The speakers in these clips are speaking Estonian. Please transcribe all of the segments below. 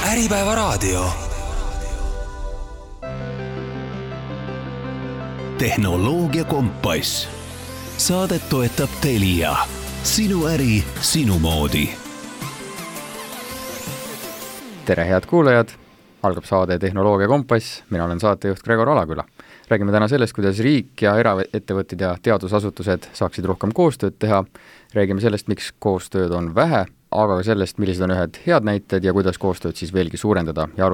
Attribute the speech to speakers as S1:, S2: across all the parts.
S1: Äripäevaraadio. Tehnoloogia kompass. Saadet toetab Telia. Sinu äri, sinu moodi.
S2: Tere head kuulajad! Algab saade Tehnoloogia kompass. Mina olen saatejuht Gregor Alaküla. Räägime täna sellest, kuidas riik ja eraettevõtted ja teadusasutused saaksid rohkem koostööd teha. Räägime sellest, miks koostööd on vähe, aga ka sellest, millised on ühed head näited ja kuidas koostööd siis veelgi suurendada ja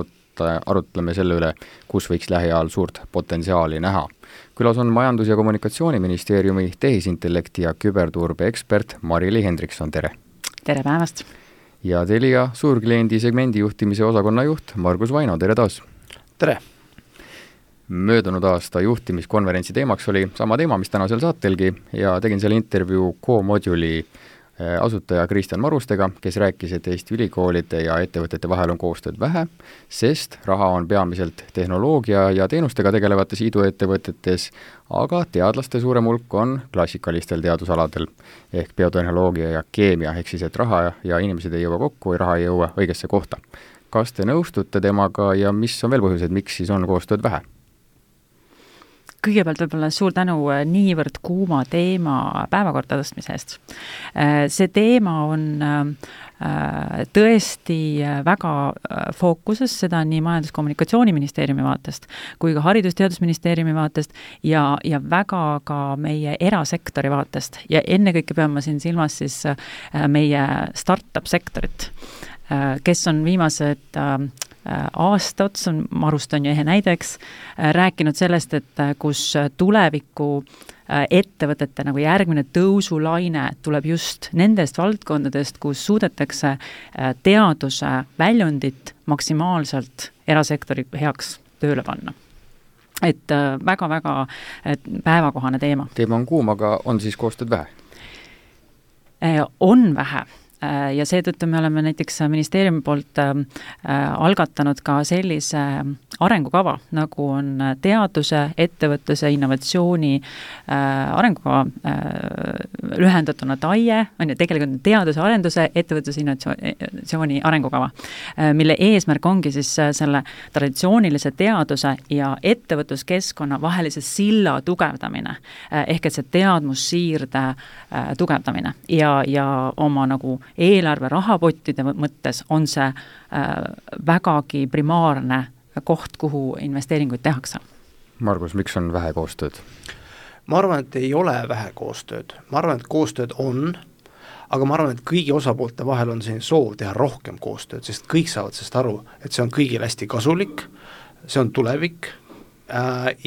S2: arutleme selle üle, kus võiks lähiajal suurt potentsiaali näha. Külas on Majandus- ja Kommunikatsiooniministeeriumi tehisintellekti ja küberturbe ekspert Mari-Li Hendrikson. Tere!
S3: Tere päevast!
S2: Ja Telia suurkliendi segmendi juhtimise osakonna juht Margus Vaino. Tere taas!
S4: Tere!
S2: Möödunud aasta juhtimiskonverentsi teemaks oli sama teema, mis tänasel saatelgi, ja tegin selle intervjuu Co-Moduli asutaja Kristjan Marustega, kes rääkis, et Eesti ülikoolide ja ettevõtete vahel on koostööd vähe, sest raha on peamiselt tehnoloogia ja teenustega tegelevates iduettevõtetes, aga teadlaste suurem hulk on klassikalistel teadusaladel ehk biotehnoloogia ja keemia, ehk siis, et raha ja inimesed ei jõua kokku ja raha ei jõua õigesse kohta. Kas te nõustute temaga ja mis on veel põhjused, miks siis on koostööd vähe?
S3: Kõigepealt võib-olla suur tänu niivõrd kuuma teema päevakorda tõstmise eest. See teema on tõesti väga fookuses, seda nii Majandus- ja Kommunikatsiooniministeeriumi vaatest kui ka Haridus-Teadusministeeriumi vaatest ja väga ka meie erasektori vaatest. Ja ennekõike pean ma siin silmas siis meie startup-sektorit, kes on viimased aasta ots, Marust on ju ehe näideks, rääkinud sellest, et kus tuleviku ettevõtete nagu järgmine tõusulaine tuleb just nendest valdkondadest, kus suudetakse teaduse väljundit maksimaalselt erasektori heaks tööle panna. Et väga-väga päevakohane teema.
S2: Teema on kuum, aga on siis koostööd vähe?
S3: On vähe. Ja seetõttu me oleme näiteks ministeeriumi poolt algatanud ka sellise arengukava, nagu on teaduse, ettevõtluse, innovatsiooni arengukava, lühendatuna TAIE, on ju tegelikult teaduse, arenduse, ettevõtluse, innovatsiooni arengukava, mille eesmärk ongi siis selle traditsioonilise teaduse ja ettevõtluskeskkonna vahelise silla tugevdamine, ehk et see teadmussiirde tugevdamine ja oma nagu eelarve rahapottide mõttes on see vägagi primaarne koht, kuhu investeeringuid tehakse.
S2: Margus, miks on vähe koostööd?
S4: Ma arvan, et ei ole vähe koostööd. Ma arvan, et koostööd on, aga ma arvan, et kõigi osapoolte vahel on siin soov teha rohkem koostööd, sest kõik saavad sellest aru, et see on kõigil hästi kasulik, see on tulevik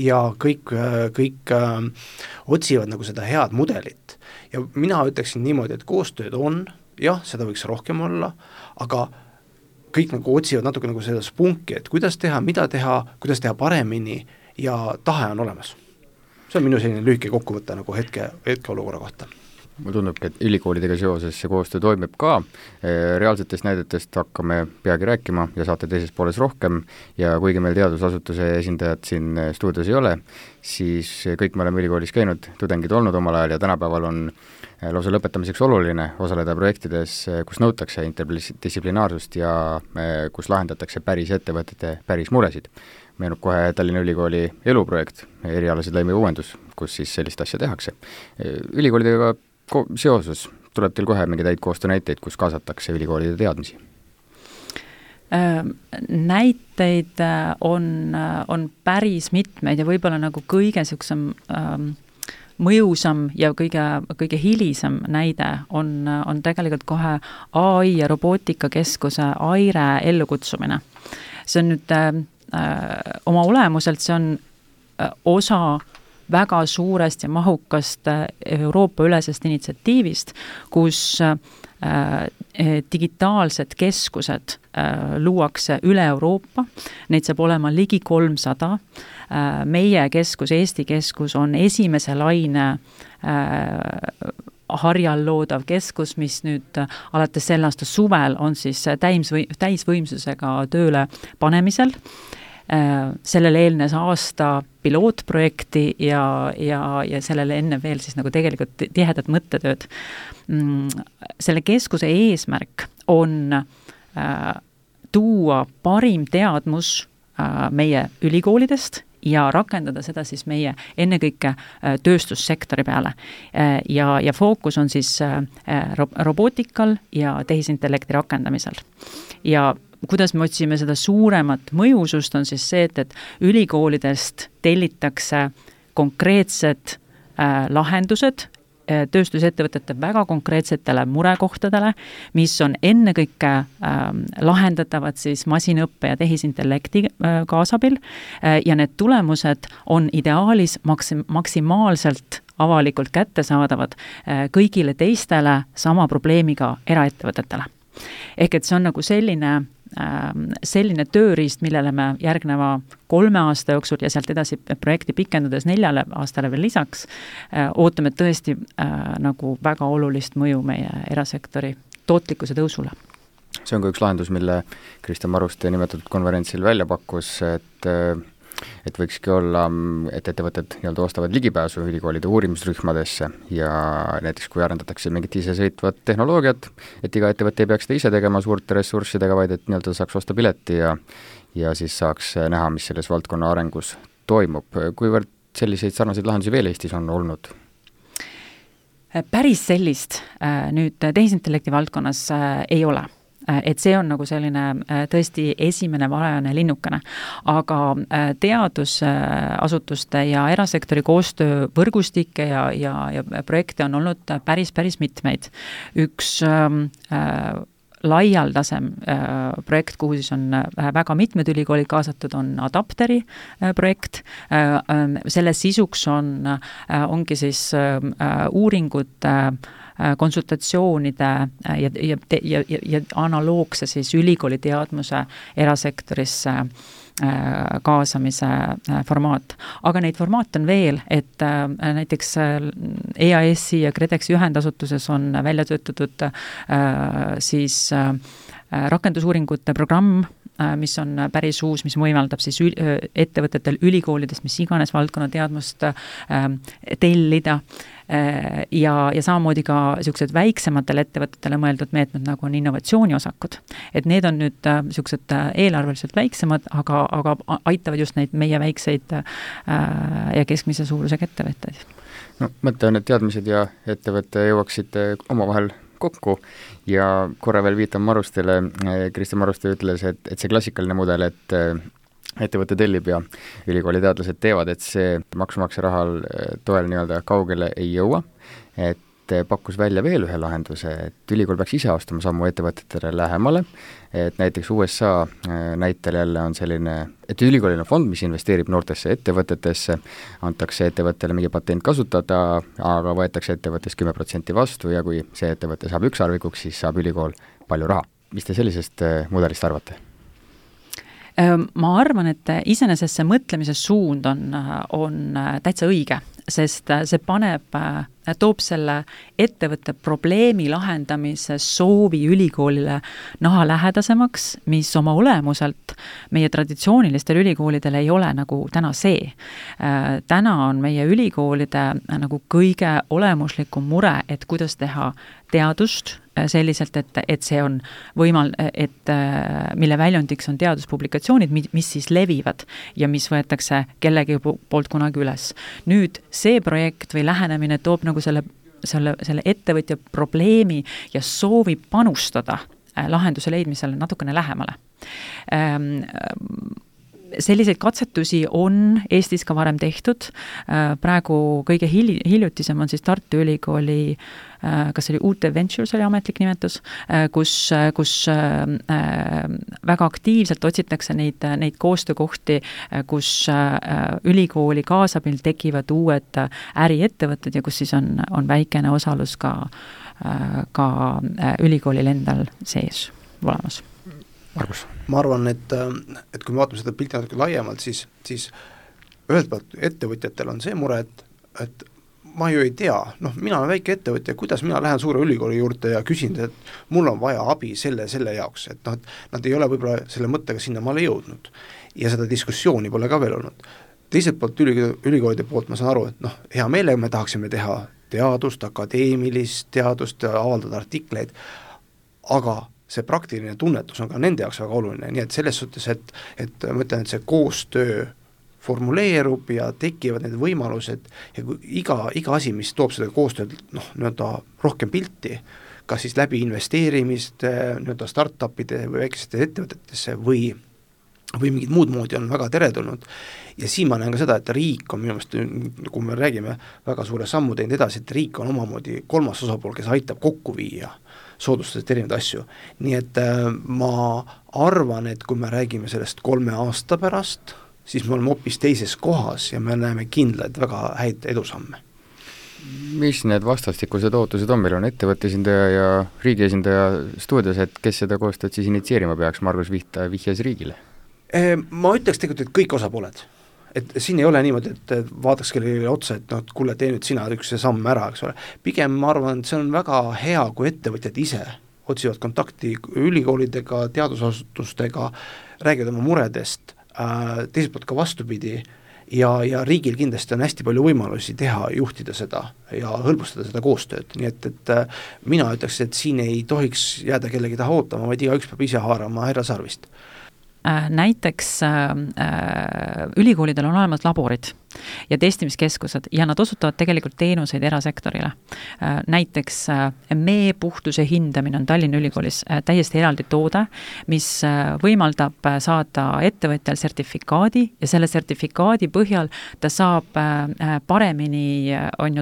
S4: ja kõik otsivad nagu seda head mudelit. Ja mina ütleksin niimoodi, et koostööd on, jah, seda võiks rohkem olla, aga kõik nagu otsivad natuke nagu seda spunki, et kuidas teha, mida teha, kuidas teha paremini ja tahe on olemas. See on minu selline lühike kokkuvõte nagu hetke olukorra kohta.
S2: Mulle tundubki, et ülikoolidega seoses see koostöö toimib ka. Reaalsetest näidetest hakkame peagi rääkima ja saate teises pooles rohkem ja kuigi meil teadusasutuse esindajad siin stuudios ei ole, siis kõik me oleme ülikoolis käinud, tudengid olnud omal ajal ja tänapäeval on lausa lõpetamiseks oluline osaleda projektides, kus nõutakse interdistsiplinaarsust ja kus lahendatakse päris ettevõtete päris muresid. Meenub kohe Tallinna Ülikooli eluprojekt, erialased lõime uuendus, kus siis sellist asja tehakse. Ülikoolidega seoses tuleb teil kohe mingeid häid koostöönäiteid, kus kaasatakse ülikoolide teadmisi?
S3: Näiteid on päris mitmeid ja võib-olla nagu kõige siuksem mõjusam ja kõige hilisem näide on tegelikult kohe AI ja robootikakeskuse AIRE ellukutsumine. See on nüüd oma olemuselt, see on osa väga suurest ja mahukast Euroopa ülesest initsiatiivist, kus digitaalsed keskused luuakse üle Euroopa, neid saab olema ligi 300. Meie keskus, Eesti keskus on esimese laine harjal loodav keskus, mis nüüd alates selle aasta suvel on siis täisvõimsusega tööle panemisel. Sellele eelnes aasta pilootprojekti ja sellele enne veel siis nagu tegelikult tihedat mõttetööd. Selle keskuse eesmärk on tuua parim teadmus meie ülikoolidest ja rakendada seda siis meie ennekõike tööstussektori peale. Ja fookus on siis robootikal ja tehisintellekti rakendamisel. Ja kuidas me otsime seda suuremat mõjusust, on siis see, et ülikoolidest tellitakse konkreetsed lahendused tööstusettevõtete väga konkreetsetele murekohtadele, mis on ennekõike lahendatavad siis masinõppe ja tehisintellekti kaasabil ja need tulemused on ideaalis maksimaalselt avalikult kättesaadavad kõigile teistele sama probleemiga eraettevõtetele. Ehk et see on nagu selline tööriist, millele me järgneva 3 aasta jooksul ja sealt edasi projekti pikendades 4 aastale veel lisaks ootame tõesti nagu väga olulist mõju meie erasektori tootlikkuse tõusule.
S2: See on ka üks lahendus, mille Kristjan Maruste nimetatud konverentsil välja pakkus, et võikski olla, et ettevõtted nii-öelda ostavad ligipääsu ülikoolide uurimisrühmadesse ja näiteks kui arendatakse mingit isesõitvat tehnoloogiat, et iga ettevõte ei peaks seda ise tegema suurte ressurssidega, vaid et nii-öelda saaks osta pileti ja siis saaks näha, mis selles valdkonna arengus toimub. Kuivõrd selliseid sarnaseid lahendusi veel Eestis on olnud?
S3: Päris sellist nüüd tehisintellekti valdkonnas ei ole. Et see on nagu selline tõesti esimene varajane linnukene, aga teadusasutuste ja erasektori koostöövõrgustikke ja projekte on olnud päris mitmeid. Üks laialdasem projekt, kuhu siis on väga mitmed ülikoolid kaasatud, on Adapteri projekt. Selle sisuks ongi siis uuringud konsultatsioonide ja analoogse siis ülikooli teadmuse erasektorisse kaasamise formaat. Aga neid formaate on veel, et näiteks EAS-i ja KredExi ühendasutuses on välja töötatud siis rakendusuuringute programm, mis on päris uus, mis võimaldab siis ettevõtetel ülikoolidest, mis iganes valdkonna teadmust tellida ja samamoodi ka sellised väiksematele ettevõtetele mõeldud meetmed, nagu on innovatsiooniosakud. Et need on nüüd sellised eelarveliselt väiksemad, aga aitavad just neid meie väikseid ja keskmise suurusega ettevõtteid.
S2: No, mõte on, et teadmised ja ettevõtte jõuaksid omavahel kokku ja korra veel viitan Marustele, Kristjan Maruste ütles, et see klassikaline mudel, et ettevõte tellib ja ülikooli teadlased teevad, et see maksumaksja rahal toel nii-öelda kaugele ei jõua, et pakkus välja veel ühe lahenduse, et ülikool peaks ise astuma sammu ettevõtetele lähemale, et näiteks USA näitel jälle on selline, et ülikoolil on fond, mis investeerib noortesse ettevõtetesse, antakse ettevõttele mingi patent kasutada, aga võetakse ettevõttest 10% vastu ja kui see ettevõte saab ükssarvikuks, siis saab ülikool palju raha. Mis te sellisest mudelist arvate?
S3: Ma arvan, et iseenesest see mõtlemise suund on täitsa õige, sest see toob selle ettevõtte probleemi lahendamise soovi ülikoolile naha lähedasemaks, mis oma olemuselt meie traditsioonilistel ülikoolidel ei ole nagu täna see. Täna on meie ülikoolide nagu kõige olemuslikum mure, et kuidas teha teadust selliselt, et see on mille väljundiks on teaduspublikatsioonid, mis siis levivad ja mis võetakse kellegi poolt kunagi üles. Nüüd see projekt või lähenemine toob nagu selle ettevõtja probleemi ja soovi panustada lahenduse leidmisele natukene lähemale. Selliseid katsetusi on Eestis ka varem tehtud. Praegu kõige hiljutisem on siis Tartu Ülikooli, kas oli UT Ventures oli ametlik nimetus, kus väga aktiivselt otsitakse neid koostöökohti, kus ülikooli kaasabil tekivad uued äriettevõtted ja kus siis on väikene osalus ka ülikoolil endal sees olemas.
S2: Margus?
S4: Ma arvan, et kui me vaatame seda pilti natuke laiemalt, siis ühelt poolt ettevõtjatel on see mure, et ma ju ei tea, mina olen väike ettevõtja, kuidas mina lähen suure ülikooli juurde ja küsin, et mul on vaja abi selle jaoks, et nad ei ole võib-olla selle mõttega sinna maale jõudnud ja seda diskussiooni pole ka veel olnud. Teiselt poolt ülikoolide poolt ma saan aru, et hea meelega me tahaksime teha teadust, akadeemilist teadust, avaldada artikleid, aga see praktiline tunnetus on ka nende jaoks väga oluline, nii et selles suhtes, et ma ütlen, et see koostöö formuleerub ja tekivad need võimalused ja kui iga asi, mis toob seda koostööd nii-öelda rohkem pilti, kas siis läbi investeerimist nii-öelda startupide või väikeste ettevõtetesse või mingid muud moodi on väga teretulnud. Ja siin ma näen ka seda, et riik on minu meelest, kui me räägime väga suure sammu teinud edasi, et riik on omamoodi kolmas osapool, kes aitab kokku viia soodustades erinevaid asju. Nii et ma arvan, et kui me räägime sellest 3 aasta pärast, siis me oleme hoopis teises kohas ja me näeme kindlaid väga häid edusamme.
S2: Mis need vastastikused ootused on? Meil on ettevõtte esindaja ja riigi esindaja stuudios, et kes seda koostööd siis initsieerima peaks? Margus vihjas riigile.
S4: Ma ütleks tegelikult, et kõik osapooled. Et siin ei ole niimoodi, et vaataks kellele otsa, et kuule, tee nüüd sina üks samm ära, eks ole. Pigem ma arvan, et see on väga hea, kui ettevõtjad ise otsivad kontakti ülikoolidega, teadusasutustega, räägivad oma muredest, teiselt poolt ka vastupidi ja riigil kindlasti on hästi palju võimalusi teha, juhtida seda ja hõlbustada seda koostööd, nii et mina ütleks, et siin ei tohiks jääda kellegi taha ootama, vaid igaüks peab ise haarama härra sarvist.
S3: Näiteks ülikoolidel on olemas laborid ja testimiskeskused ja nad osutavad tegelikult teenuseid erasektorile. Näiteks meepuhtuse hindamine on Tallinna Ülikoolis täiesti eraldi toode, mis võimaldab saada ettevõtjal sertifikaadi ja selle sertifikaadi põhjal ta saab paremini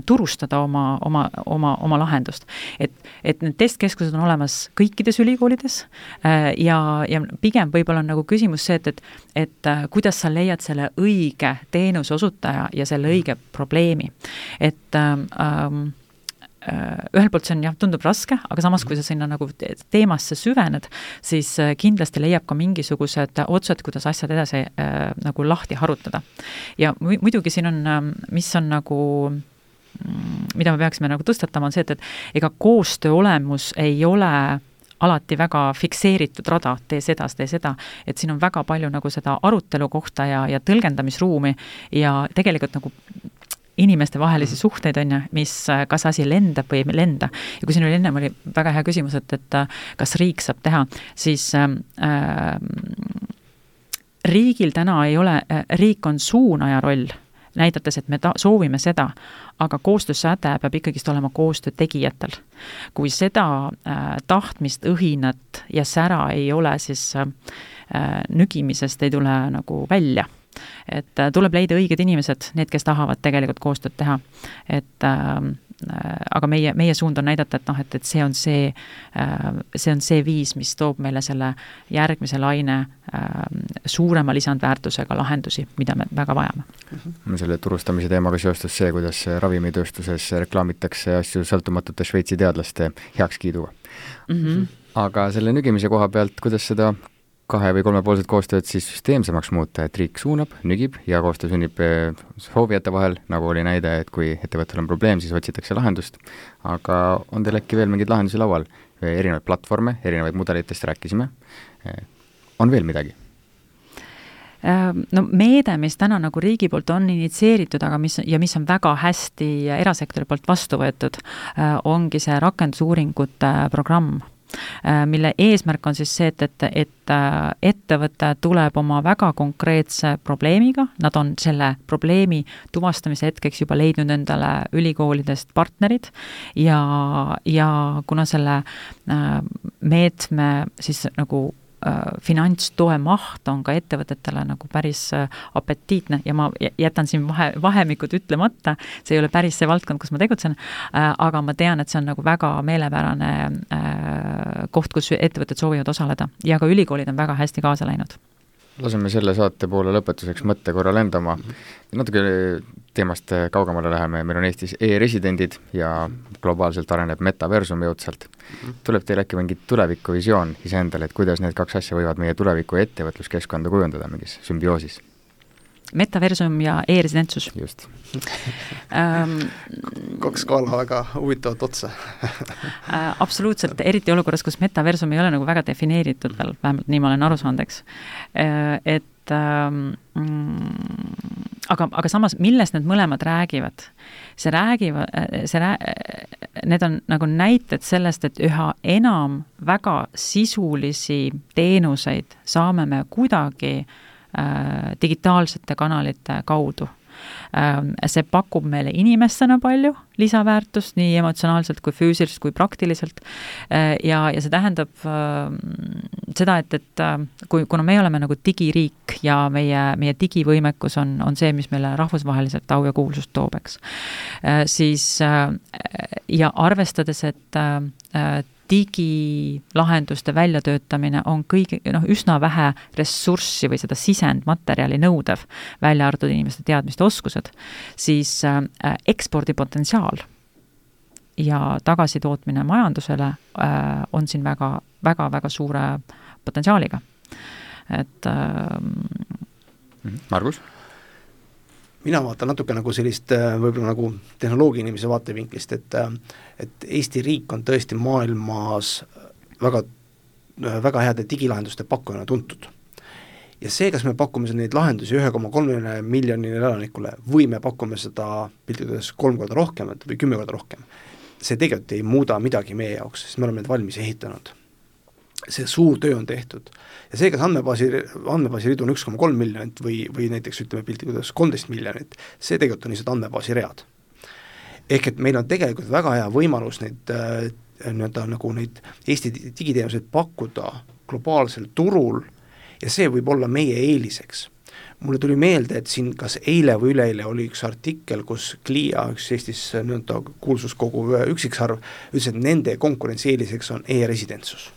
S3: turustada oma lahendust. Et need testkeskused on olemas kõikides ülikoolides ja pigem võib-olla on nagu küsimus see, et kuidas sa leiad selle õige teenuse osutaja ja selle õige probleemi. Et ühel poolt see on tundub raske, aga samas kui sa sinna nagu teemasse süvened, siis kindlasti leiab ka mingisugused otsad, kuidas asjad edasi nagu lahti harutada. Ja muidugi siin on, mis on nagu mida me peaksime nagu tõstatama, on see, et ega koostöö olemus ei ole alati väga fikseeritud rada, tee seda, et siin on väga palju nagu seda arutelu kohta ja tõlgendamisruumi ja tegelikult nagu inimeste vahelisi suhteid on mis kas asi lendab või ei lenda. Ja kui siin oli ennem oli väga hea küsimus, et kas riik saab teha, siis riigil täna ei ole, riik on suunaja roll, näidates, et me soovime seda, aga koostöösäde peab ikkagist olema koostöö tegijatel. Kui seda tahtmist, õhinat ja sära ei ole, siis nügimisest ei tule nagu välja. Et tuleb leida õiged inimesed, need, kes tahavad tegelikult koostööd teha. Aga meie suund on näidata, et see on see viis, mis toob meile selle järgmise laine suurema lisandväärtusega lahendusi, mida me väga vajame.
S2: Selle turustamise teemaga seostus see, kuidas ravimitööstuses reklaamitakse asju sõltumatute Šveitsi teadlaste heakskiiduga. Aga selle nügimise koha pealt, kuidas seda 2- või 3-poolset koostööd siis süsteemsemaks muuta, et riik suunab, nügib ja koostöö sünnib soovijate vahel, nagu oli näide, et kui ettevõttel on probleem, siis otsitakse lahendust. Aga on teil äkki veel mingeid lahendusi laual? Erinevaid platvorme, erinevaid mudelitest rääkisime. On veel midagi?
S3: No meede, mis täna nagu riigi poolt on initsieeritud, aga mis on väga hästi erasektori poolt vastu võetud, ongi see rakendusuuringute programm, mille eesmärk on siis see, et ettevõte tuleb oma väga konkreetse probleemiga, nad on selle probleemi tuvastamise hetkeks juba leidnud endale ülikoolidest partnerid ja kuna selle meetme siis nagu finantstoe maht on ka ettevõtetele nagu päris apetiitne ja ma jätan siin vahemikud ütlemata, see ei ole päris see valdkond, kus ma tegutsen, aga ma tean, et see on nagu väga meelepärane koht, kus ettevõtted soovivad osaleda ja ka ülikoolid on väga hästi kaasa läinud.
S2: Laseme selle saate poole lõpetuseks mõtte korra lendama. Natuke teemast kaugemale läheme. Meil on Eestis e-residendid ja globaalselt areneb metaversum jõudsalt. Tuleb teil äkki mingi tulevikuvisioon iseendale, et kuidas need 2 asja võivad meie tuleviku ettevõtluskeskkonda kujundada mingis sümbioosis? Metaversum
S3: ja e-residentsus.
S2: Just.
S4: 2 skaala väga huvitavat otsa.
S3: Absoluutselt, eriti olukorras, kus metaversum ei ole nagu väga defineeritud veel, vähemalt nii ma olen aru saanud, eks. aga samas, millest need mõlemad räägivad? Need on nagu näited sellest, et üha enam väga sisulisi teenuseid saame me kuidagi digitaalsete kanalite kaudu. See pakub meile inimestena palju lisaväärtust, nii emotsionaalselt kui füüsiliselt kui praktiliselt ja see tähendab seda, et kuna me oleme nagu digiriik ja meie digivõimekus on see, mis meile rahvusvaheliselt au ja kuulsust toob, eks. Siis ja arvestades, et digilahenduste väljatöötamine on üsna vähe ressurssi või seda sisendmaterjali nõudev, välja arvatud inimeste teadmiste oskused, siis ekspordipotentsiaal ja tagasitootmine majandusele on siin väga suure potentsiaaliga. Et
S2: Margus?
S4: Mina vaatan natuke nagu sellist võib-olla nagu tehnoloogia inimese vaatevinklist, et Eesti riik on tõesti maailmas väga heade digilahenduste pakkujana tuntud. Ja see, kas me pakume neid lahendusi 1,3 miljonile elanikule või me pakume seda piltidades 3 korda rohkem või 10 korda rohkem, see tegelikult ei muuda midagi meie jaoks, sest me oleme need valmis ehitanud. See suur töö on tehtud. Ja see, kas andmebaasi ridu on 1,3 miljonit või näiteks ütleme piltidades 13 miljonit, see tegelikult on lihtsalt andmebaasi read. Ehk et meil on tegelikult väga hea võimalus neid Eesti digiteenuseid pakkuda globaalsel turul ja see võib olla meie eeliseks. Mulle tuli meelde, et siin kas eile või üleeile oli üks artikkel, kus Clia, üks Eestis kuulsuskogu üksiksarv, ütles, et nende konkurentsieeliseks on e-residentsus.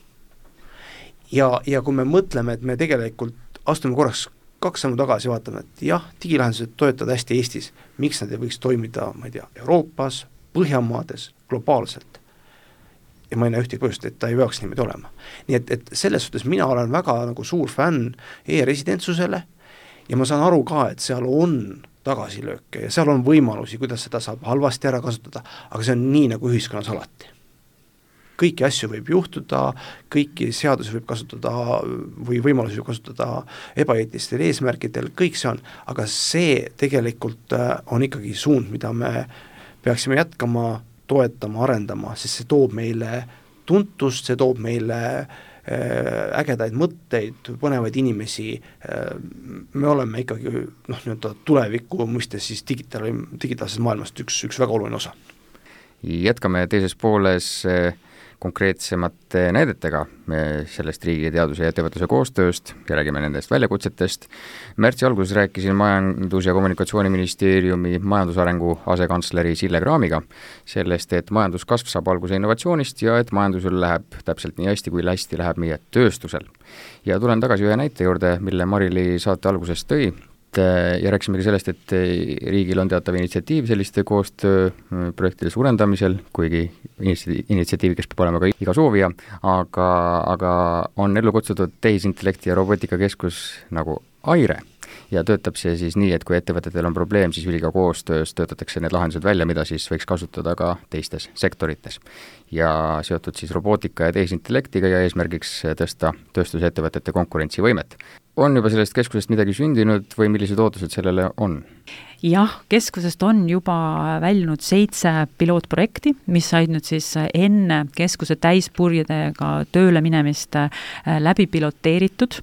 S4: Ja kui me mõtleme, et me tegelikult astume korraks 2 sammu tagasi, vaatame, et jah, digilahendused toetavad hästi Eestis, miks nad ei võiks toimida, ma ei tea, Euroopas, Põhjamaades, globaalselt. Ja ma ei näe ühtegi põhjust, et ta ei peaks niimoodi olema. Nii et selles suhtes mina olen väga nagu suur fänn e-residentsusele ja ma saan aru ka, et seal on tagasilööke ja seal on võimalusi, kuidas seda saab halvasti ära kasutada, aga see on nii nagu ühiskonnas alati. Kõiki asju võib juhtuda, kõiki seadusi võib kasutada või võimalusi võib kasutada ebaeetilistel eesmärkidel, kõik see on, aga see tegelikult on ikkagi suund, mida me peaksime jätkama, toetama, arendama, sest see toob meile tuntust, see toob meile ägedaid mõtteid, põnevaid inimesi, me oleme ikkagi tuleviku mõistes siis digitaalses maailmast üks väga oluline osa.
S2: Jätkame teises pooles konkreetsemate näidetega sellest riigi teaduse ja ettevõtluse koostööst ja räägime nendest väljakutsetest. Märtsi alguses rääkisin Majandus- ja Kommunikatsiooniministeeriumi majandusarengu asekantsleri Sille Kraamiga sellest, et majanduskasv saab alguse innovatsioonist ja et majandusel läheb täpselt nii hästi, kui hästi läheb meie tööstusel. Ja tulen tagasi ühe näite juurde, mille Marili saate alguses tõi. Ja rääkisimegi sellest, et riigil on teatav initsiatiiv selliste koostööprojektide suurendamisel, kuigi initsiatiivi, kes peab olema ka iga soovija, aga on ellu kutsutud tehisintellekti ja robotikakeskus nagu AIRE ja töötab see siis nii, et kui ettevõtetel on probleem, siis üliga koostöös töötatakse need lahendused välja, mida siis võiks kasutada ka teistes sektorites. Ja seotud siis robootika ja tehisintellektiga ja eesmärgiks tõsta tööstusettevõtete konkurentsivõimet. On juba sellest keskusest midagi sündinud või millised ootused sellele on?
S3: Jah, keskusest on juba väljunud 7 pilootprojekti, mis said nüüd siis enne keskuse täispurjedega tööle minemist läbi piloteeritud.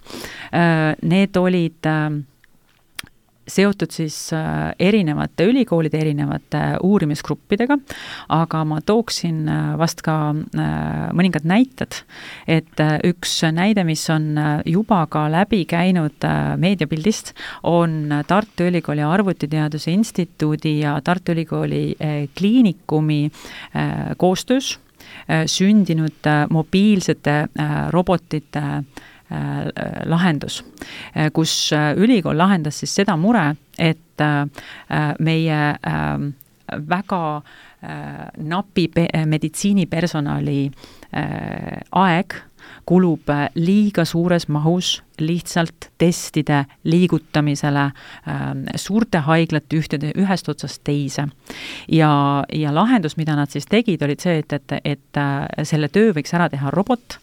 S3: Need olid seotud siis erinevate ülikoolide, erinevate uurimisgruppidega, aga ma tooksin vast ka mõningad näited, et üks näide, mis on juba ka läbi käinud meediapildist, on Tartu Ülikooli Arvutiteaduse Instituudi ja Tartu Ülikooli kliinikumi koostöös sündinud mobiilsete robotite lahendus, kus ülikool lahendas siis seda mure, et meie väga napi meditsiinipersonali aeg kulub liiga suures mahus lihtsalt testide liigutamisele suurte haiglate ühest otsast teise. Ja lahendus, mida nad siis tegid, olid see, et selle töö võiks ära teha robot,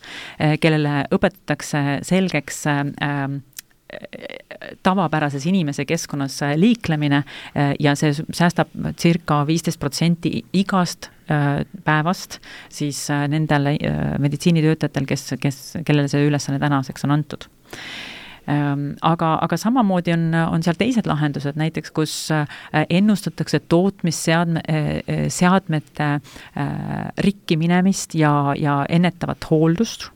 S3: kellele õpetatakse selgeks tavapärases inimese keskkonnas liiklemine ja see säästab circa 15% igast päevast siis nendele meditsiinitöötajatel, kellele see ülesanne tänaseks on antud. Aga samamoodi on seal teised lahendused, näiteks kus ennustatakse tootmisseadmete rikki minemist ja ennetavat hooldust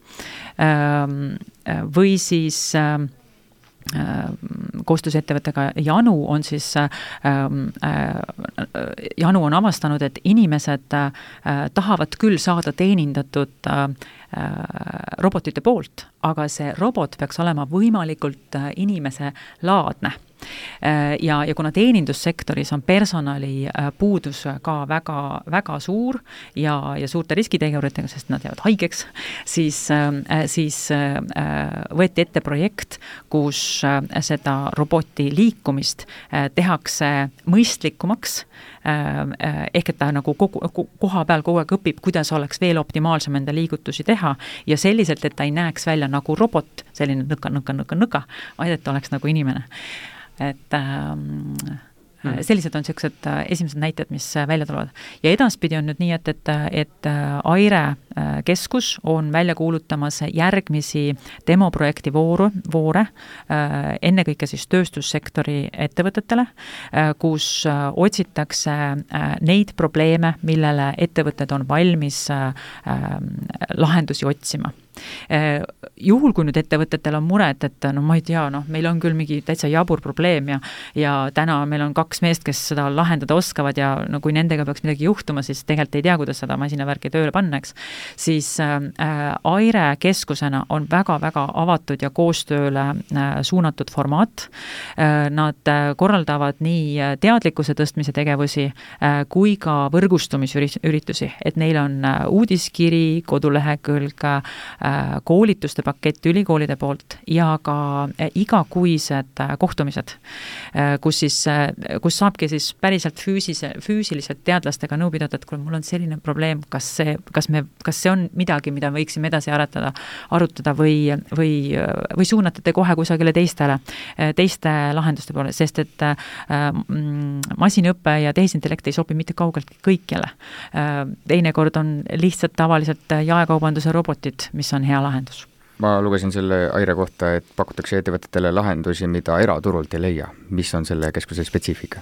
S3: või siis koostöös ettevõttega Janu on siis Janu on avastanud, et inimesed tahavad küll saada teenindatud robotite poolt, aga see robot peaks olema võimalikult inimese laadne. Ja kuna teenindussektoris on personali puudus ka väga, väga suur ja suurte riskiteguritega, sest nad jäävad haigeks, siis võeti ette projekt, kus seda roboti liikumist tehakse mõistlikumaks, ehk et ta nagu koha peal kogu aeg õpib, kuidas oleks veel optimaalsem enda liigutusi teha ja selliselt, et ta ei näeks välja nagu robot, selline nõka, vaid et oleks nagu inimene. Et sellised on sellised esimesed näited, mis välja tulevad. Ja edaspidi on nüüd nii, et Aire keskus on välja kuulutamas järgmisi demoprojekti voore, ennekõike siis tööstussektori ettevõtetele, kus otsitakse neid probleeme, millele ettevõtted on valmis lahendusi otsima. Juhul, kui nüüd ettevõtetel on mured, et ma ei tea, meil on küll mingi täitsa jabur probleem ja täna meil on 2 meest, kes seda lahendada oskavad ja kui nendega peaks midagi juhtuma, siis tegelikult ei tea, kuidas seda masinavärki tööle pannaks, siis Aire keskusena on väga-väga avatud ja koostööle suunatud formaat. Nad korraldavad nii teadlikkuse tõstmise tegevusi kui ka võrgustumisüritusi, et neil on uudiskiri, kodulehekülg, koolituste pakett ülikoolide poolt ja ka igakuised kohtumised, kus saabki siis päriselt füüsiliselt teadlastega nõu pidada, et kui mul on selline probleem, kas see on midagi, mida võiksime edasi arutada või suunatate kohe kusagile teiste lahenduste poole, sest et masinõppe ja tehisintellekt ei sobi mitte kaugelt kõikjale. Teinekord on lihtsalt tavaliselt jaekaubanduse robotid, mis on hea lahendus.
S2: Ma lugesin selle Aire kohta, et pakutakse ettevõtetele lahendusi, mida eraturult ei leia. Mis on selle keskuse spetsiifika?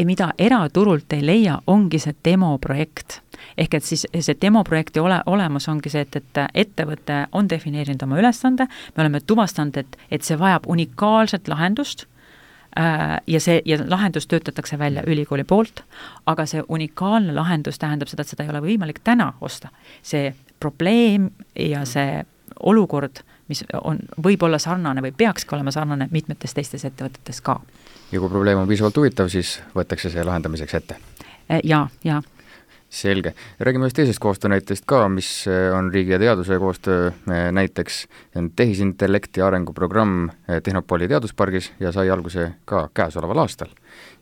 S3: Mida eraturult ei leia, ongi see demoprojekt. Ehk et siis see demoprojekti olemus ongi see, et ettevõte on defineerinud oma ülesande, me oleme tuvastanud, et see vajab unikaalset lahendust ja lahendus töötatakse välja ülikooli poolt, aga see unikaalne lahendus tähendab seda, et seda ei ole võimalik täna osta. See probleem ja see olukord, mis võib olla sarnane või peakski olema sarnane mitmetes teistes ettevõtetes ka.
S2: Ja kui probleem on piisavalt huvitav, siis võetakse see lahendamiseks ette?
S3: Ja.
S2: Selge. Räägime ühest teisest koostöönäitest ka, mis on riigi ja teaduse koostöö näiteks tehisintellekti arenguprogramm Tehnopoli teaduspargis ja sai alguse ka käesoleval aastal.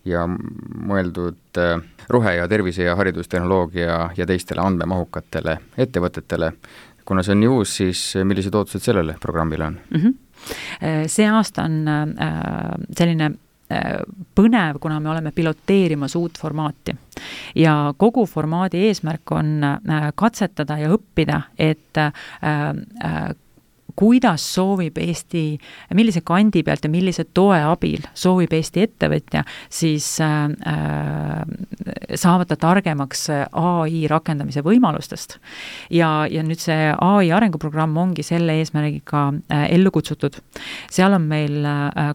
S2: Ja mõeldud rohe- ja tervise- ja haridustehnoloogia ja teistele andmemahukatele ettevõtetele. Kuna see on nii uus, siis millised ootused sellele programmile on?
S3: See aasta on selline põnev, kuna me oleme piloteerimas uut formaati. Ja kogu formaadi eesmärk on katsetada ja õppida, et kuidas soovib Eesti, millise kandi pealt ja millise toe abil soovib Eesti ettevõtja, siis saavata targemaks AI rakendamise võimalustest. Ja nüüd see AI arenguprogramm ongi selle eesmärgiga ellu kutsutud. Seal on meil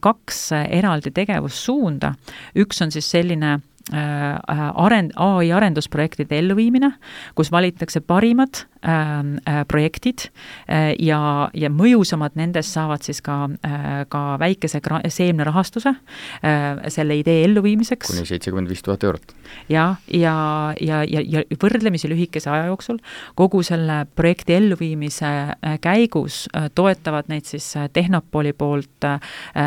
S3: 2 eraldi tegevussuunda. Üks on siis selline AI arendusprojektide elluviimine, kus valitakse parimad projektid ja mõjusamad nendest saavad siis ka väikese seemne rahastuse selle idee elluviimiseks.
S2: Kuni 75 000 eurot.
S3: Ja võrdlemisi lühikese aja jooksul kogu selle projekti elluviimise käigus toetavad neid siis Tehnopoli poolt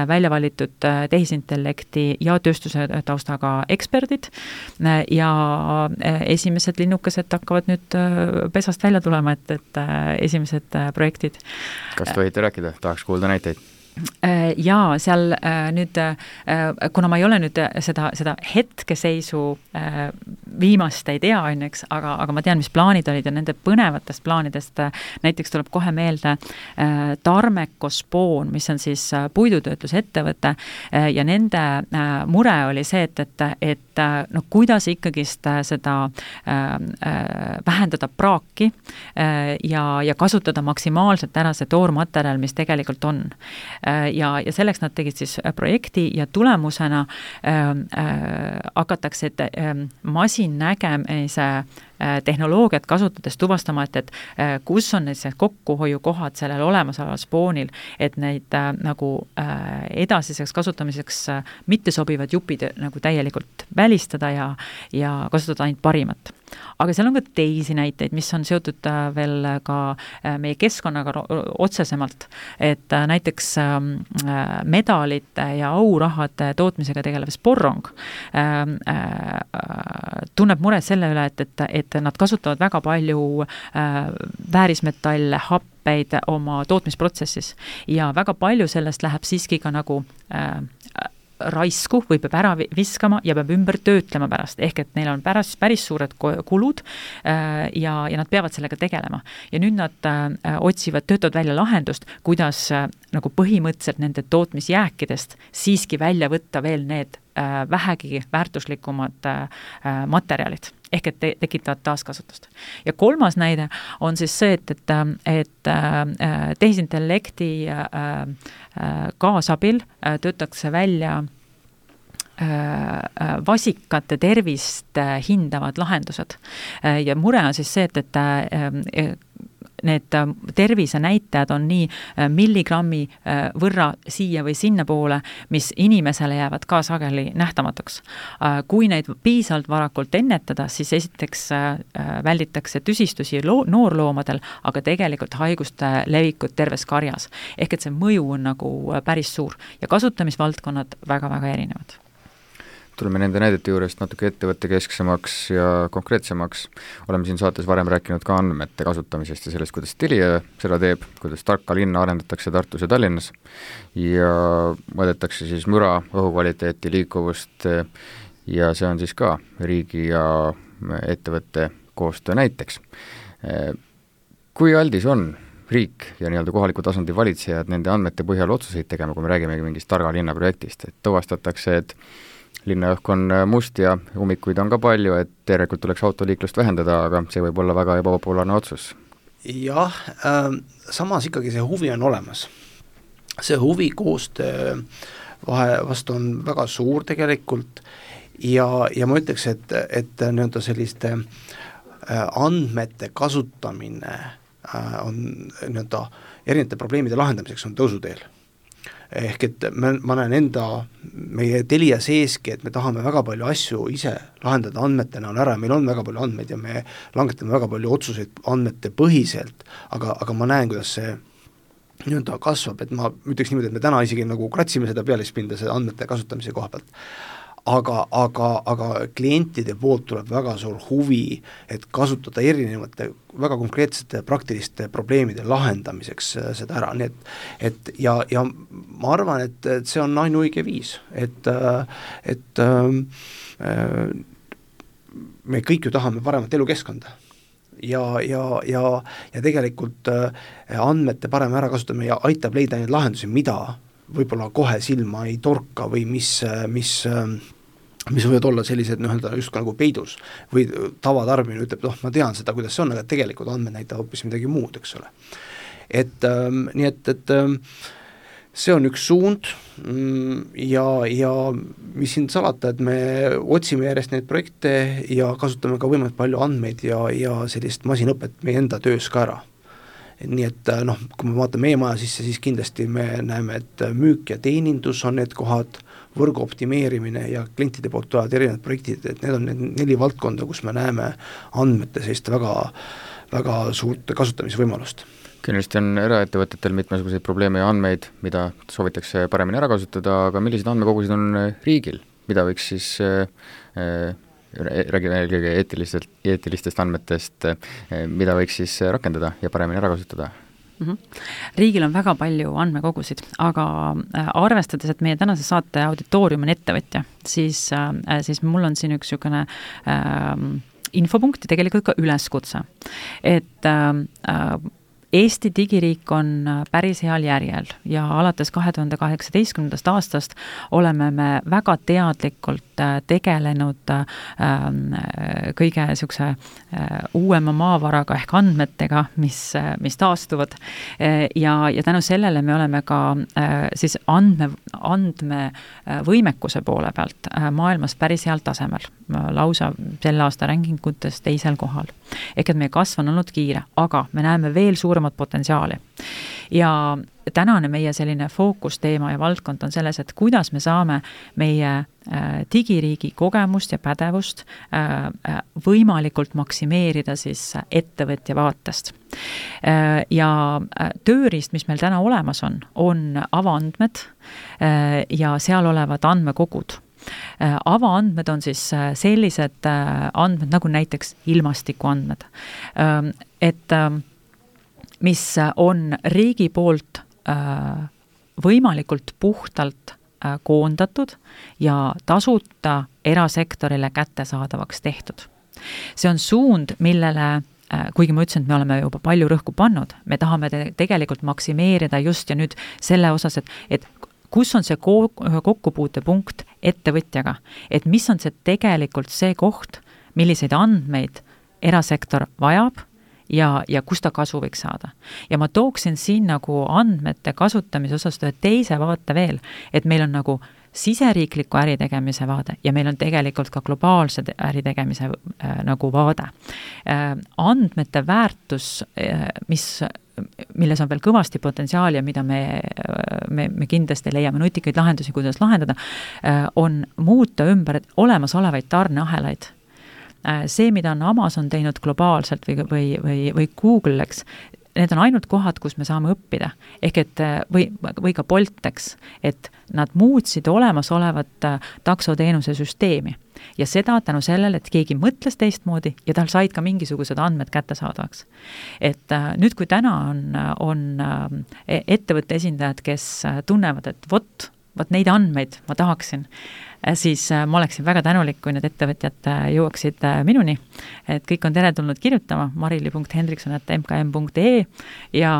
S3: välja valitud tehisintellekti ja tööstuse taustaga eksperdid ja esimesed linnukesed hakkavad nüüd pesast välja tulema, et esimesed projektid.
S2: Kas tohite rääkida? Tahaks kuulda näiteid.
S3: Jaa, seal nüüd, kuna ma ei ole nüüd seda hetkeseisu viimast ei tea õnneks, aga ma tean, mis plaanid olid ja nende põnevatest plaanidest näiteks tuleb kohe meelde Tarmekospoon, mis on siis puidutöötlusettevõte ja nende mure oli see, et no kuidas ikkagist seda vähendada praaki ja kasutada maksimaalselt ära see toormaterjal, mis tegelikult on. Ja selleks nad tegid siis projekti ja tulemusena hakatakse masinnägemise tehnoloogiat kasutades tuvastama, et kus on need kokkuhoiukohad sellel olemasoleval spoonil, et neid nagu edasiseks kasutamiseks mittesobivad jupid nagu täielikult välistada ja kasutada ainult parimat. Aga seal on ka teisi näiteid, mis on seotud veel ka meie keskkonnaga otsesemalt, et näiteks medalite ja aurahade tootmisega tegelev Sporrong tunneb muret selle üle, et nad kasutavad väga palju väärismetalle, happeid oma tootmisprotsessis ja väga palju sellest läheb siiski ka nagu raisku või peab ära viskama ja peab ümber töötlema pärast, ehk et neil on päris suured kulud ja nad peavad sellega tegelema. Ja nüüd nad töötavad välja lahendust, kuidas nagu põhimõtteliselt nende tootmisjääkidest siiski välja võtta veel need vähegi väärtuslikumad materjalid, ehk et tekitavad taaskasutust. Ja kolmas näide on siis see, et tehisintellekti kaasabil töötakse välja vasikate tervist hindavad lahendused. Ja mure on siis see, et need tervisenäitajad on nii milligrammi võrra siia või sinna poole, mis inimesele jäävad ka sageli nähtamatuks. Kui neid piisavalt varakult ennetada, siis esiteks välditakse tüsistusi noorloomadel, aga tegelikult haiguste levikut terves karjas. Ehk et see mõju on nagu päris suur ja kasutamisvaldkonnad väga-väga erinevad.
S2: Tuleme nende näidete juurest natuke ettevõtte kesksemaks ja konkreetsemaks. Oleme siin saates varem rääkinud ka andmete kasutamisest ja sellest, kuidas Telia seda teeb, kuidas tarka linna arendatakse Tartus ja Tallinnas ja mõõdetakse siis müra, õhukvaliteeti, liikuvust ja see on siis ka riigi ja ettevõtte koostöö näiteks. Kui aldis on riik ja nii-öelda kohaliku tasandi valitsejad nende andmete põhjal otsuseid tegema, kui me räägimegi mingist targa linna projektist, et tuvastatakse, et linnaõhk on must ja ummikuid on ka palju, et tegelikult tuleks autoliiklust vähendada, aga see võib olla väga ebapopulaarne otsus.
S4: Jah, samas ikkagi see huvi on olemas. See huvi koostöö vastu on väga suur tegelikult ja ma ütleks, et nii-öelda selliste andmete kasutamine on nii-öelda erinevate probleemide lahendamiseks on tõusuteel. Ehk et ma näen meie Telia seeski, et me tahame väga palju asju ise lahendada andmetena on ära, meil on väga palju andmeid ja me langetame väga palju otsuseid andmete põhiselt, aga ma näen, kuidas see nii-öelda kasvab, et ma ütleks niimoodi, et me täna isegi nagu kratsime seda pealispinda selle andmete kasutamise koha pealt. Aga klientide poolt tuleb väga suur huvi, et kasutada erinevate väga konkreetsete praktiliste probleemide lahendamiseks seda ära, nii et ja ma arvan, et see on ainuõige viis, et me kõik ju tahame paremat elukeskkonda ja tegelikult andmete parem ära kasutamine ja aitab leida neid lahendusi, mida võib-olla kohe silma ei torka või mis võivad olla sellised just nagu peidus või tavatarbimine ütleb, ma tean seda, kuidas see on, aga tegelikult andmed näitavad hoopis midagi muud, eks ole. Nii et see on üks suund ja mis siin salata, et me otsime järjest neid projekte ja kasutame ka võimalikult palju andmeid ja sellist masinõpet meie enda töös ka ära. Nii et kui me vaatame meie maja sisse, siis kindlasti me näeme, et müük ja teenindus on need kohad, võrgu optimeerimine ja klientide poolt tulevad erinevad projektid, et need on need 4 valdkonda, kus me näeme andmete sellist väga, väga suurt kasutamisvõimalust.
S2: Kindlasti on eraettevõtetel mitmesuguseid probleeme ja andmeid, mida soovitakse paremini ära kasutada, aga millised andmekogusid on riigil, mida võiks siis räägime eelkõige eetilistest andmetest, mida võiks siis rakendada ja paremini ära kasutada?
S3: Riigil on väga palju andmekogusid, aga arvestades, et meie tänase saate auditoorium on ettevõtja, siis mul on siin üks niisugune infopunkt ja tegelikult ka üleskutse, et Eesti digiriik on päris heal järjel ja alates 2018. aastast oleme me väga teadlikult tegelenud kõige niisuguse uuema maavaraga ehk andmetega, mis taastuvad ja tänu sellele me oleme ka siis andmevõimekuse poole pealt maailmas päris heal tasemel, lausa selle aasta rankingutes 2. kohal. Ehk et meie kasv on olnud kiire, aga me näeme veel suuremat potentsiaali. Ja tänane meie selline fookusteema ja valdkond on selles, et kuidas me saame meie digiriigi kogemust ja pädevust võimalikult maksimeerida siis ettevõtja vaatest. Ja tööriist, mis meil täna olemas on avaandmed ja seal olevad andmekogud. Avaandmed on siis sellised andmed nagu näiteks ilmastikuandmed, et mis on riigi poolt võimalikult puhtalt koondatud ja tasuta erasektorile kättesaadavaks tehtud. See on suund, millele kuigi ma ütlesin, et me oleme juba palju rõhku pannud, me tahame tegelikult maksimeerida just ja nüüd selle osas, et kus on see kokkupuutepunkt ettevõtjaga, et mis on see tegelikult see koht, milliseid andmeid erasektor vajab ja kus ta kasu võiks saada. Ja ma tooksin siin nagu andmete kasutamise osas teise vaate veel, et meil on nagu siseriikliku äritegemise vaade ja meil on tegelikult ka globaalse äritegemise nagu vaade. Andmete väärtus, milles on veel kõvasti potentsiaali ja mida me kindlasti leiame nutikaid lahendusi, kuidas lahendada, on muuta ümber olemasolevaid tarneahelaid. See, mida on Amazon teinud globaalselt või Google, eks, need on ainult kohad, kus me saame õppida. Ehk et, või ka Bolt, eks, et nad muutsid olemasolevat taksoteenuse süsteemi. Ja seda tänu sellele, et keegi mõtles teistmoodi ja tal said ka mingisugused andmed kättesaadavaks. Et nüüd, kui täna on ettevõtte esindajad, kes tunnevad, et vot neid andmeid ma tahaksin, siis ma oleksin väga tänulik, kui need ettevõtjad jõuaksid minuni, et kõik on teretulnud kirjutama marili.hendrikson@mkm.ee ja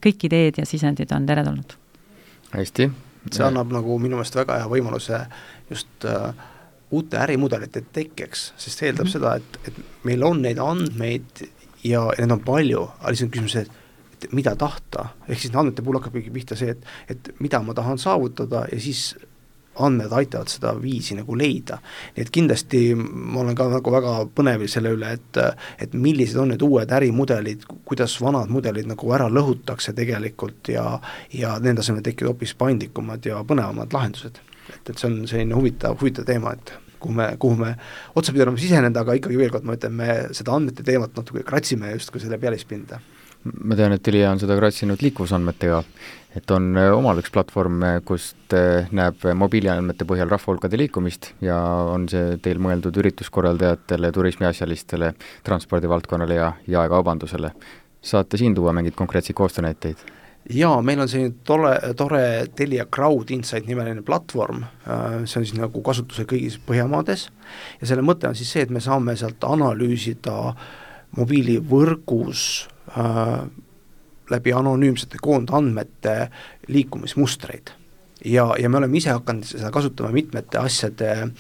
S3: kõik ideed ja sisendid on teretulnud.
S2: Hästi.
S4: See annab nagu minu meelest väga hea võimaluse just uute ärimudelite tekkeks, sest see eeldab seda, et meil on neid andmeid ja need on palju, aga lihtsalt küsimus, et mida tahta, ehk siis andmete puhul hakkab pihta see, et mida ma tahan saavutada ja siis andmed aitavad seda viisi nagu leida. Nii et kindlasti ma olen ka nagu väga põnevil selle üle, et millised on need uued ärimudelid, kuidas vanad mudelid nagu ära lõhutakse tegelikult ja nende asemel tekivad hoopis paindlikumad ja põnevamad lahendused. Et see on selline huvitav teema, et kuhu me otsa pidanud siseneda, aga ikkagi veel kord ma ütlen, me seda andmete teemat natuke kratsime justkui selle pealispinda.
S2: Ma tean, et Telia on seda kratsinud liikuvusandmetega, et on omal üks platvorm, kust näeb mobiiliandmete põhjal rahvahulkade liikumist ja on see teil mõeldud ürituskorraldajatele, turismiasjalistele, transpordivaldkonnale ja jaekaubandusele. Saate siin tuua mingid konkreetseid koostöönäiteid?
S4: Jaa, meil on selline tore Telia Crowd Insight nimeline platvorm, see on siis nagu kasutuse kõigis Põhjamaades ja selle mõte on siis see, et me saame sealt analüüsida mobiilivõrgus läbi anonüümsete koondandmete liikumismustreid ja me oleme ise hakanud seda kasutama mitmete asjade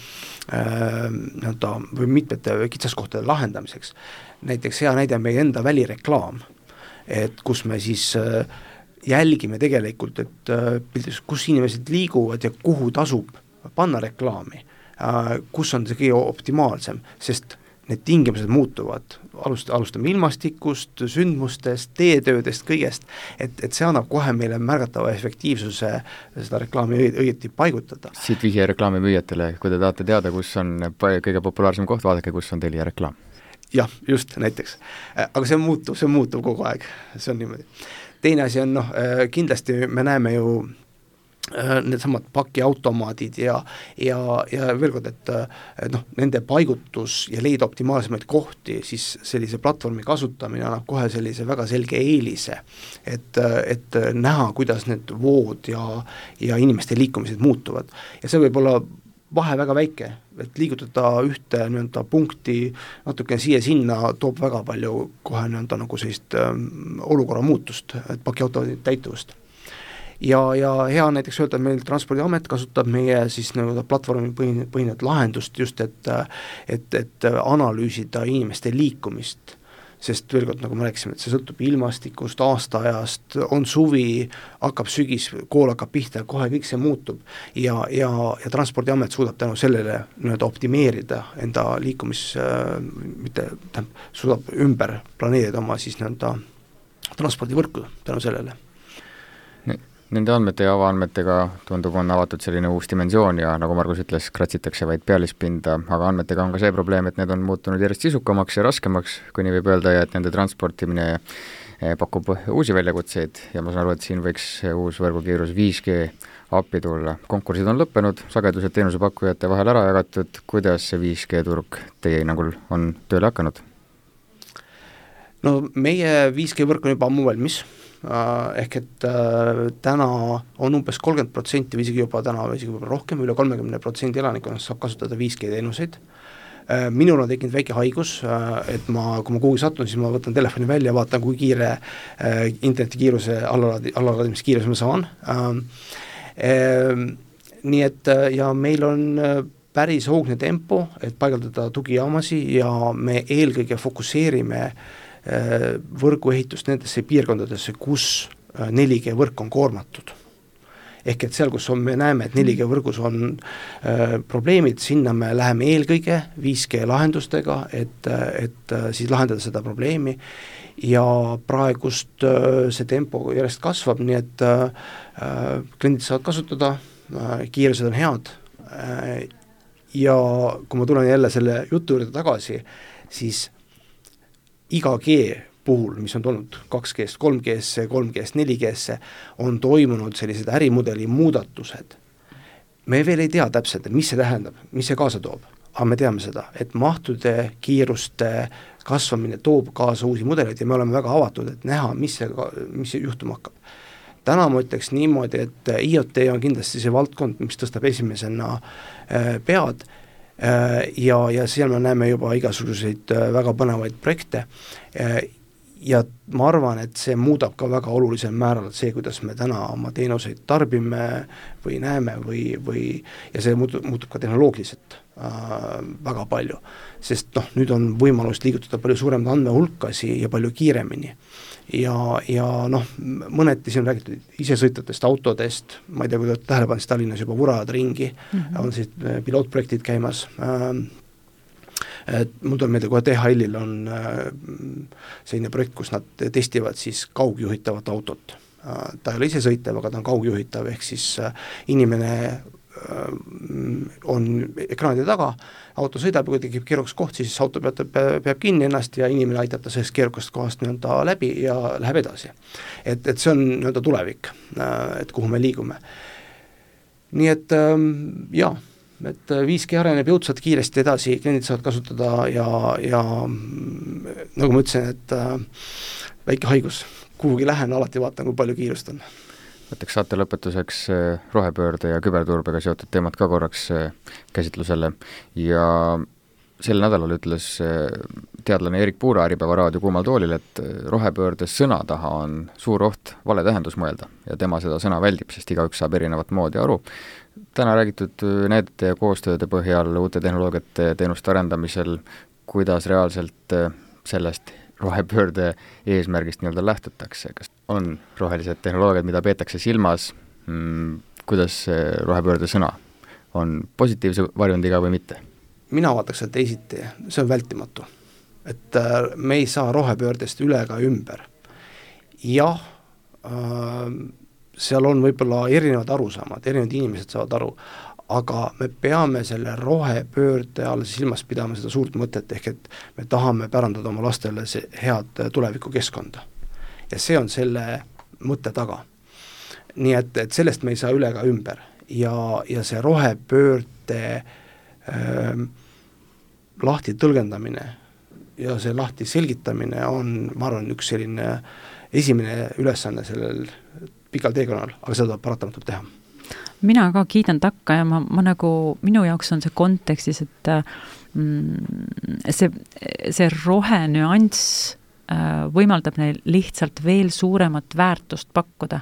S4: või mitmete kitsaskohtade lahendamiseks. Näiteks hea näide on meie enda välireklaam, et kus me siis jälgime tegelikult, et kus inimesed liiguvad ja kuhu tasub panna reklaami, kus on see kõige optimaalsem, sest need tingimused muutuvad, alustame ilmastikust, sündmustest, teetöödest, kõigest, et see annab kohe meile märgatava efektiivsuse seda reklaami õieti paigutada.
S2: Siit vihje reklaamimüüjatele, kui te tahate teada, kus on kõige populaarsem koht, vaadake, kus on Telia reklaam.
S4: Jah, just näiteks. Aga see muutub kogu aeg, see on niimoodi. Teine asi on, kindlasti me näeme ju needsamad pakiautomaadid ja veel kord, et noh, nende paigutus ja leida optimaalsemaid kohti, siis sellise platvormi kasutamine annab kohe sellise väga selge eelise, et näha, kuidas need vood ja inimeste liikumised muutuvad. Ja see võib olla vahe väga väike, et liigutada ühte nii-öelda punkti natuke siia-sinna toob väga palju kohe nii-öelda nagu sellist olukorra muutust, et pakiautomaadid täituvust. Ja hea on näiteks öelda, et meil Transpordiamet kasutab meie siis nii-öelda platvormi põhinevat lahendust just, et analüüsida inimeste liikumist, sest veel kord, nagu me rääkisime, et see sõltub ilmastikust, aastaajast, on suvi, hakkab sügis, kool hakkab pihta, kohe kõik see muutub ja Transpordiamet suudab tänu sellele nii-öelda optimeerida enda suudab ümber planeerida oma siis nii-öelda transpordivõrku tänu sellele.
S2: Nende andmete ja avaandmetega tundub, on avatud selline uus dimensioon ja nagu Margus ütles, kratsitakse vaid pealispinda, aga andmetega on ka see probleem, et need on muutunud järjest sisukamaks ja raskemaks, kui nii võib öelda, ja et nende transportimine pakub uusi väljakutseid ja ma saan aru, et siin võiks uus võrgukiirus 5G appi tulla. Konkursid on lõppenud, sagedused teenusepakkujate vahel ära jagatud, kuidas see 5G turg teie hinnangul on tööle hakanud?
S4: No meie 5G võrk on juba ammu valmis, ehk et täna on umbes 30% või isegi juba täna või isegi juba rohkem, üle 30% elanikkonnast saab kasutada 5G teenuseid. Minul on tekkinud väike haigus, et kui ma kuhugi satun, siis ma võtan telefoni välja ja vaatan, kui kiire internetikiiruse allalaadimiskiiruse ma saan. Nii et ja meil on päris hoogne tempo, et paigaldada tugijaamasi ja me eelkõige fokusseerime võrguehitust nendesse piirkondadesse, kus 4G võrk on koormatud. Ehk et seal, kus me näeme, et 4G võrgus on probleemid, sinna me läheme eelkõige 5G lahendustega, et siis lahendada seda probleemi ja praegust see tempo järjest kasvab, nii et kliendid saavad kasutada, kiirused on head ja kui ma tulen jälle selle jutu juurde tagasi, siis iga G puhul, mis on tulnud 2G-st 3G-sse, 3G-st 4G-sse, on toimunud sellised ärimudeli muudatused. Me veel ei tea täpselt, mis see tähendab, mis see kaasa toob, aga me teame seda, et mahtude, kiiruste kasvamine toob kaasa uusi mudeleid ja me oleme väga avatud, et näha, mis see juhtuma hakkab. Täna ma ütleks niimoodi, et IoT on kindlasti see valdkond, mis tõstab esimesena pead, ja seal me näeme juba igasuguseid väga põnevaid projekte ja ma arvan, et see muudab ka väga olulisel määral see, kuidas me täna oma teenuseid tarbime või näeme ja see muutub ka tehnoloogiliselt väga palju, sest nüüd on võimalus liigutada palju suuremaid andmehulkasi ja palju kiiremini ja mõneti siin on räägitud isesõitvatest autodest, ma ei tea, kui te tähele pannud, Tallinnas juba vurajad ringi, on siis pilootprojektid käimas, mul tuleb meelde, kohe DHL-il on selline projekt, kus nad testivad siis kaugjuhitavat autot. Ta ei ole isesõitev, aga ta on kaugjuhitav, ehk siis inimene on ekraanide taga, auto sõidab ja kui tekib keerukas koht, siis auto peab kinni ennast ja inimene aitab ta sellest keerukast kohast nii-öelda läbi ja läheb edasi. Et see on nii-öelda tulevik, et kuhu me liigume. Nii et et 5G areneb jõudsalt kiiresti edasi, kliendid saavad kasutada ja nagu ma ütlesin, et väike haigus, kuhugi lähen, alati vaatan, kui palju kiirust on.
S2: Võtaks saate lõpetuseks rohepöörde ja küberturbega seotud teemad ka korraks käsitlusele ja sel nädalal ütles teadlane Erik Puura Äripäeva raadio Kuumal toolil, et rohepöörde sõna taha on suur oht vale tähendus mõelda ja tema seda sõna väldib, sest igaüks saab erinevat moodi aru. Täna räägitud näidete ja koostööde põhjal uute tehnoloogiate teenuste arendamisel, kuidas reaalselt sellest rohepöörde eesmärgist nii-öelda lähtutakse, kas on rohelised tehnoloogiad, mida peetakse silmas, kuidas rohepöörde sõna on positiivse varjundiga või mitte?
S4: Mina vaataks seda teisiti, see on vältimatu, et me ei saa rohepöördest üle ega ümber. Jah, seal on võib-olla erinevad arusaamad, erinevad inimesed saavad aru, aga me peame selle rohepöörde all silmas pidama seda suurt mõtet, ehk et me tahame pärandada oma lastele head tulevikukeskkonda. Ja see on selle mõtte taga. nii et sellest me ei saa üle ega ümber ja see rohepöörde lahti tõlgendamine ja see lahti selgitamine on, ma arvan, üks selline esimene ülesanne sellel pikal teekonnal, aga seda tuleb paratamatult teha.
S3: Mina ka kiidan takka ja ma nagu, minu jaoks on see kontekstis, et see rohenüanss võimaldab neil lihtsalt veel suuremat väärtust pakkuda.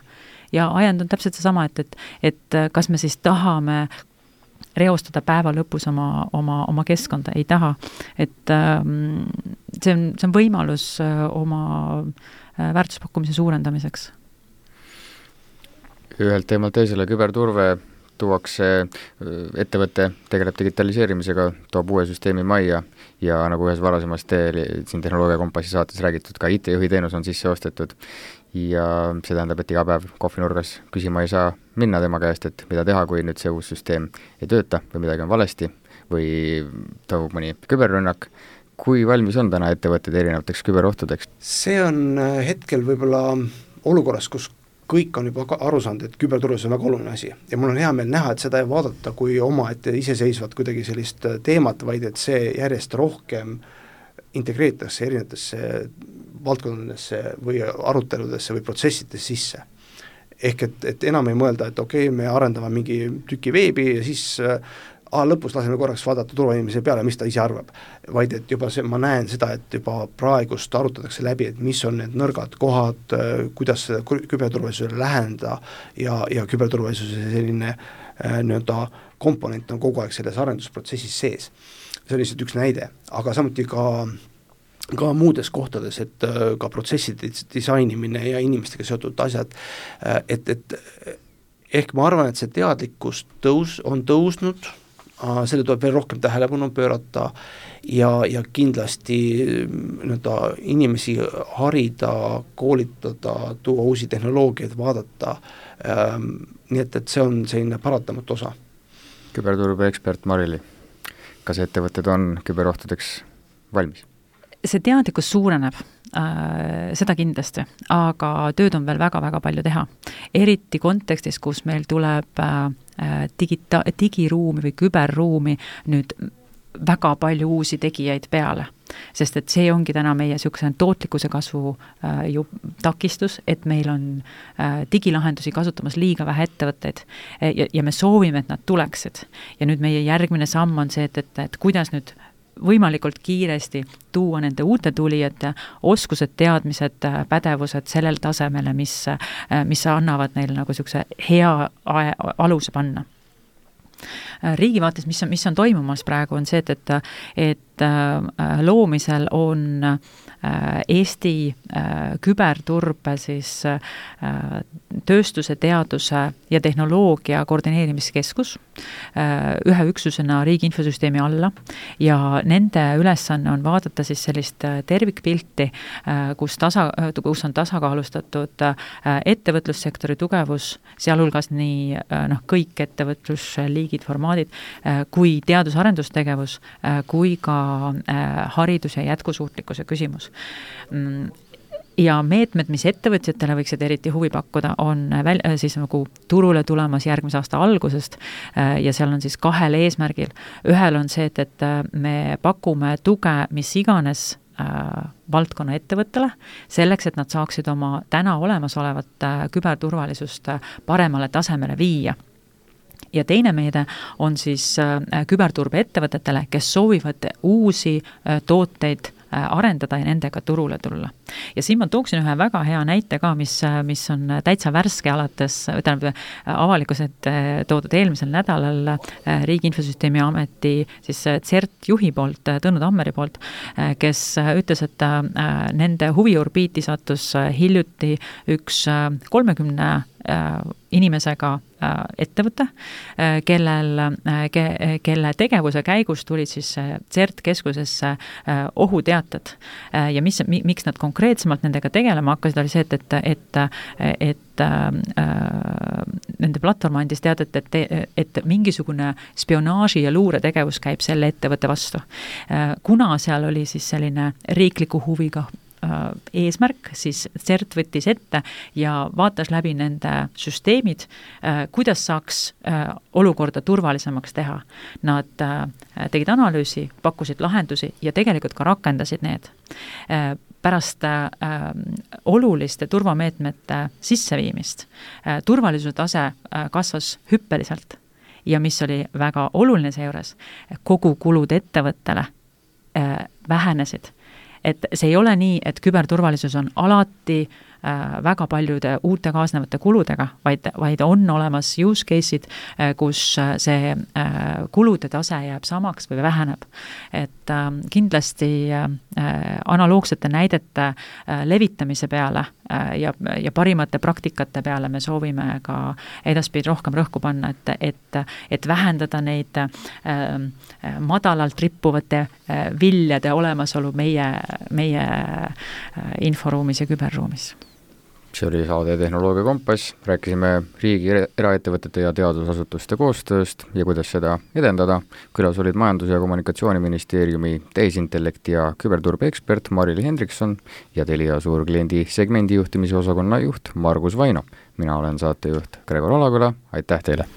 S3: Ja ajend on täpselt seesama, et kas me siis tahame reostada päeva lõpus oma keskkonda, ei taha. Et see on võimalus oma väärtuspakkumise suurendamiseks.
S2: Ühelt teemalt teisele küberturve tuuakse, ettevõte tegeleb digitaliseerimisega, toob uue süsteemi majja ja nagu ühes varasemast siin Tehnoloogia Kompassi saates räägitud, ka IT-juhi teenus on sisse ostetud ja see tähendab, et iga päev kohvinurgas küsima ei saa minna tema käest, et mida teha, kui nüüd see uus süsteem ei tööta või midagi on valesti või toimub mõni küberrünnak. Kui valmis on täna ettevõtted erinevateks küberohtudeks?
S4: See on hetkel võib-olla olukorras, kus kõik on juba aru saanud, et küberturvalisus on väga oluline asi ja mul on hea meel näha, et seda ei vaadata kui omaette iseseisvat kuidagi sellist teemat, vaid et see järjest rohkem integreeritakse erinevatesse valdkondadesse või aruteludesse või protsessidesse sisse. Ehk et enam ei mõelda, et okei, me arendame mingi tüki veebi ja siis lõpus laseme korraks vaadata turvainimese peale, mis ta ise arvab, vaid et juba ma näen seda, et juba praegust arutatakse läbi, et mis on need nõrgad kohad, kuidas seda küberturvalisusele läheneda ja küberturvalisuse selline nii-öelda komponent on kogu aeg selles arendusprotsessis sees. See on lihtsalt üks näide, aga samuti ka muudes kohtades, et ka protsesside disainimine ja inimestega seotud asjad, et ehk ma arvan, et see teadlikkus on tõusnud, selle tuleb veel rohkem tähelepanu pöörata ja kindlasti inimesi harida, koolitada, tuua uusi tehnoloogiaid, vaadata, nii et see on selline paratamatu osa.
S2: Küberturbe ekspert Marili, kas ettevõtted on küberohtudeks valmis?
S3: See teadlikkus suureneb, seda kindlasti, aga tööd on veel väga-väga palju teha. Eriti kontekstis, kus meil tuleb digiruumi või küberruumi nüüd väga palju uusi tegijaid peale. Sest et see ongi täna meie tootlikkuse kasvu takistus, et meil on digilahendusi kasutamas liiga vähe ettevõtteid ja me soovime, et nad tuleksid. Ja nüüd meie järgmine samm on see, et kuidas nüüd võimalikult kiiresti tuua nende uute tulijate oskused, teadmised, pädevused sellel tasemele, mis annavad neile nagu hea aluse panna. Riigi vaates, mis on toimumas praegu, on see, et loomisel on Eesti küberturbe siis tööstuse, teaduse ja tehnoloogia koordineerimiskeskus ühe üksusena riigi infosüsteemi alla ja nende ülesanne on vaadata siis sellist tervikpilti, kus on tasakaalustatud ettevõtlussektori tugevus, sealhulgas nii kõik ettevõtlusliigid, formaadid, kui teadus-arendustegevus, kui ka haridus- ja jätkusuutlikkuse küsimus. Ja meetmed, mis ettevõtjatele võiksid eriti huvi pakkuda, on siis nagu turule tulemas järgmise aasta algusest ja seal on siis 2 eesmärgil. Ühel on see, et me pakume tuge mis iganes valdkonna ettevõttele, selleks, et nad saaksid oma täna olemasolevat küberturvalisust paremale tasemele viia. Ja teine meede on siis küberturbe ettevõtetele, kes soovivad uusi tooteid arendada ja nendega turule tulla. Ja siin ma tooksin ühe väga hea näite ka, mis on täitsa värske alates, avalikkuselt toodud eelmisel nädalal Riigi Infosüsteemi Ameti siis CERT juhi poolt, Tõnu Tammeri poolt, kes ütles, et nende huviorbiiti sattus hiljuti üks 30 inimesega ettevõte, kelle tegevuse käigus tulid siis CERT keskusesse ohuteated ja miks nad konkreetsemalt nendega tegelema hakkasid, oli see, et nende platvorm andis teadet, et mingisugune spionaaži ja luuretegevus käib selle ettevõtte vastu. Kuna seal oli siis selline riikliku huviga eesmärk, siis CERT võttis ette ja vaatas läbi nende süsteemid, kuidas saaks olukorda turvalisemaks teha. Nad tegid analüüsi, pakkusid lahendusi ja tegelikult ka rakendasid need. Pärast oluliste turvameetmete sisseviimist turvalisuse tase kasvas hüppeliselt ja mis oli väga oluline seejuures, kogukulud ettevõttele vähenesid. Et see ei ole nii, et küberturvalisus on alati väga paljude uute kaasnevate kuludega, vaid on olemas use case'id, kus see kulude tase jääb samaks või väheneb. Et kindlasti analoogsete näidete levitamise peale ja parimate praktikate peale me soovime ka edaspidi rohkem rõhku panna, et vähendada neid madalalt rippuvate viljade olemasolu meie inforuumis ja küberruumis.
S2: See oli saade Tehnoloogia Kompass, rääkisime riigi, eraettevõtete ja teadusasutuste koostööst ja kuidas seda edendada. Külas olid Majandus- ja Kommunikatsiooniministeeriumi tehisintellekti ja küberturbe ekspert Marili Hendrikson ja Telia suurkliendi segmendi juhtimise osakonna juht Margus Vaino. Mina olen saatejuht Gregor Alaküla, aitäh teile!